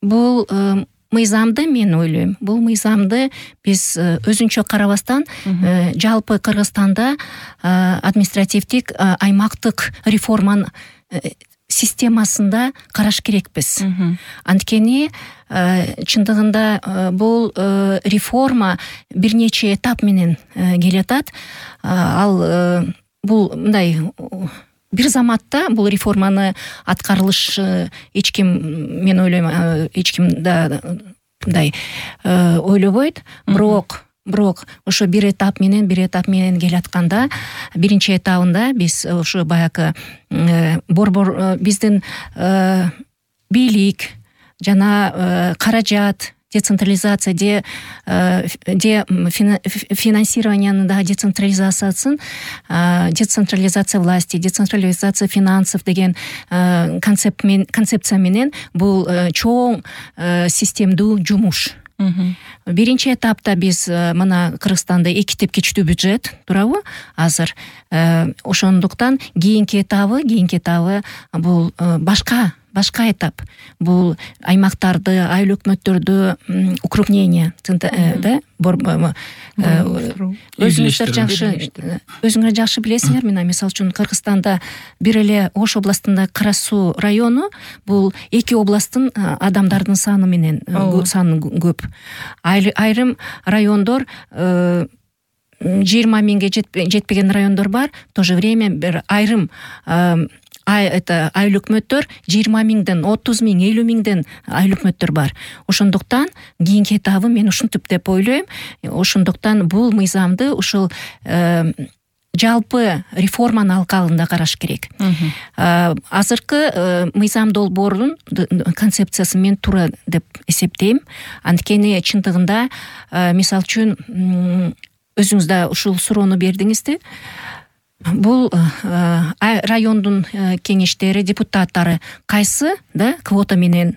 бул мыйзамды мен ойлойм, бул мыйзамды биз өзүнчө карабастан жалпы Кыргызстанда административдик аймактык реформанын системасында караш керекпиз. Анткени чындыгында бул реформа бир нече этап менен келатат. Ал бул мындай бир заматта бул реформаны аткарылыш эч ким, мен ойлойм, эч ким да мындай ойлобойт. Бирок ошо бир этап менен келатканда, биринчи этабында биз ошо баягы борбор биздин бийлик жана каражат, децентрализация, финансированиянын да децентрализация власти, децентрализация финансов деген концепция менен бул чоң системдүү жумуш. Биринчи этапта биз мына Кыргызстанда 2 тепкичтүү бюджет турабы азыр. Ошондуктан кийинки этабы бул башка этап. Бул аймактарды, айыл өкмөттөрдү укрупнение, да, өзүңөр жакшы билесиңер. Мына мисалы үчүн Кыргызстанда бир эле Ош областында Кара Суу району бул 2 областтын адамдардын саны менен көп. Айрым райондор 20 миңге жетпеген райондор бар. В то же время бир айрым айыл өкмөттөр 20 миңден 30 миң, 50 миңден айыл өкмөттөр бар. Ошондуктан кийинки этабы мен ушинтип деп ойлойм. Ошондуктан бул мыйзамды ушул жалпы реформанын алкагында караш керек. Азыркы мыйзам долбоорунун концепциясы мен туура деп эсептейм. Анткени чындыгында, мисалы үчүн, өзүңүз да ушул суроону бердиңизди. Бул райондун кеңештери, депутаттары кайсы, да, квота менен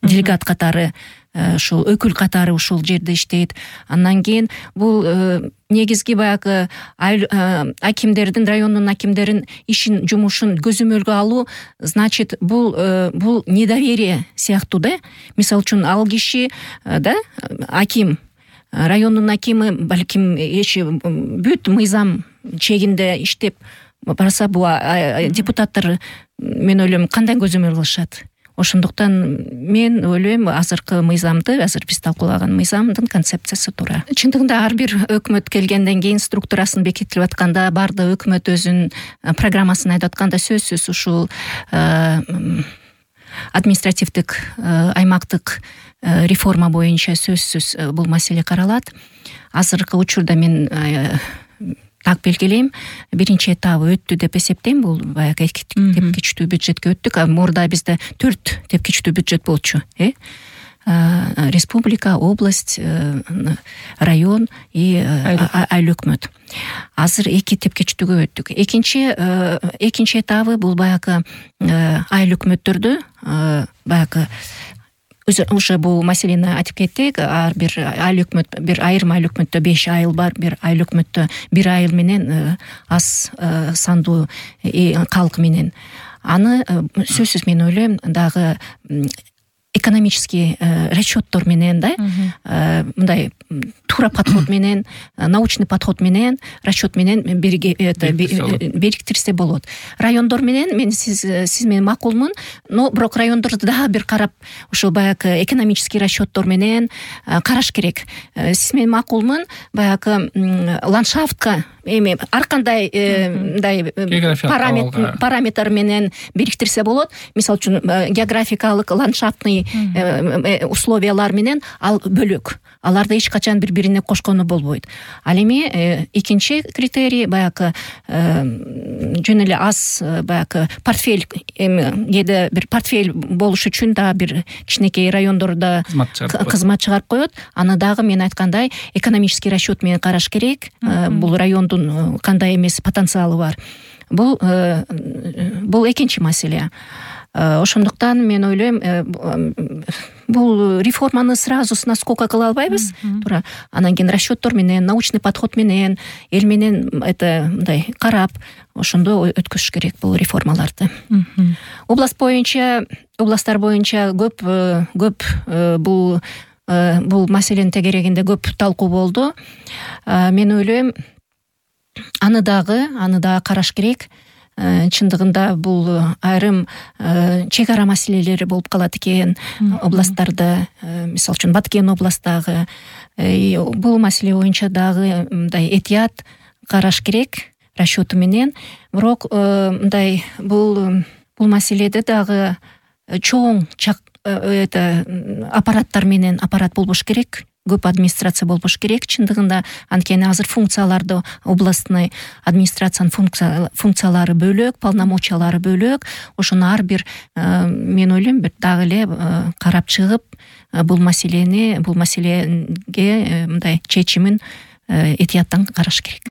делегат катары, ушул өкүл катары ушул жерде иштейт. Андан кийин бул негизги баягы акимдердин, райондун акимдерин ишин, жумушун көзөмөлгө алуу, значит, бул недоверие сыяктуу, да. Мисалы үчүн ал киши, да, аким, райондун акими, балким бүт мыйзам чегинде иштеп барса, бул депутаттар, мен ойлойм, кандай көзөмөл кылышат. Ошондуктан мен ойлойм, азыркы мыйзамды, азыр биз талкуулаган мыйзамдын концепциясы туура. Чындыгында ар бир өкмөт келгенден кийин, структурасын бекитилип атканда, бардык өкмөт өзүнүн программасын айтып атканда, сөзсүз ушул административдик аймактык реформа боюнча сөзсүз бул маселе каралат. Азыркы учурда мен так белгилейм, биринчи этабы өттү деп эсептейм. Бул баягы 2 тепкичтүү бюджетке өттүк. Мурда бизде 4 тепкичтүү бюджет болчу. Республика, область, район и айыл өкмөт. Азыр 2 тепкичтүүгө өттүк. Экинчи этабы бул баягы айыл өкмөттөрдү, баягы уже бул маселени айтып кеттик. Ар бир айыл өкмөт, бир айрым айыл өкмөттө 5 айыл бар, бир айыл өкмөттө 1 айыл менен аз сандуу калк менен. Аны сөзсүз мен ойлойм, дагы экономический расчеттор менен, да, мындай туура подход менен, научный подход менен, расчет менен бириктирсе болот. Райондор менен мен сиз менен макулмун, но бирок райондорду дагы бир карап, ошол баягы экономический расчеттор менен караш керек. Сиз менен макулмун, баягы ландшафтка эми ар кандай мындай параметр менен бириктирсе болот. Мисалы үчүн географикалык, ландшафтный условиялар менен ал бөлөк. Аларды эч качан бири-бирине кошкону болбойт. Ал эми экинчи критерий баягы жөн эле аз баягы портфель, эми кээде бир портфель болуш үчүн да бир кичинекей райондордо кызмат чыгарып коет. Аны дагы мен айткандай экономический расчет менен караш керек. Бул райондун кандай эмес потенциалы бар. Бул экинчи маселе. Ошондуктан мен ойлойм, бул реформаны сразу с наскока кыла албайбыз туура. Анан кийин расчеттор менен, научный подход менен, эл менен мындай карап ошондо өткөзүш керек бул реформаларды. Областтар боюнча көп бул маселенин тегерегинде көп талкуу болду. Мен ойлойм, аны дагы караш керек. Чындыгында бул айрым чек ара маселелери болуп калат экен областтарда. Мисалы үчүн Баткен областагы бул маселе боюнча дагы мындай этият караш керек расчету менен. Бирок мындай бул маселеде дагы чоң аппараттар менен аппарат болбош керек. Көп администрация болбош керек чындыгында. Анткени азыр функцияларды областный администрациянын функциялары бөлөк, полномочиялары бөлөк. Ошону ар бир мен ойлойм бир дагы эле карап чыгып, бул маселеге мындай чечимин этияттан караш керек.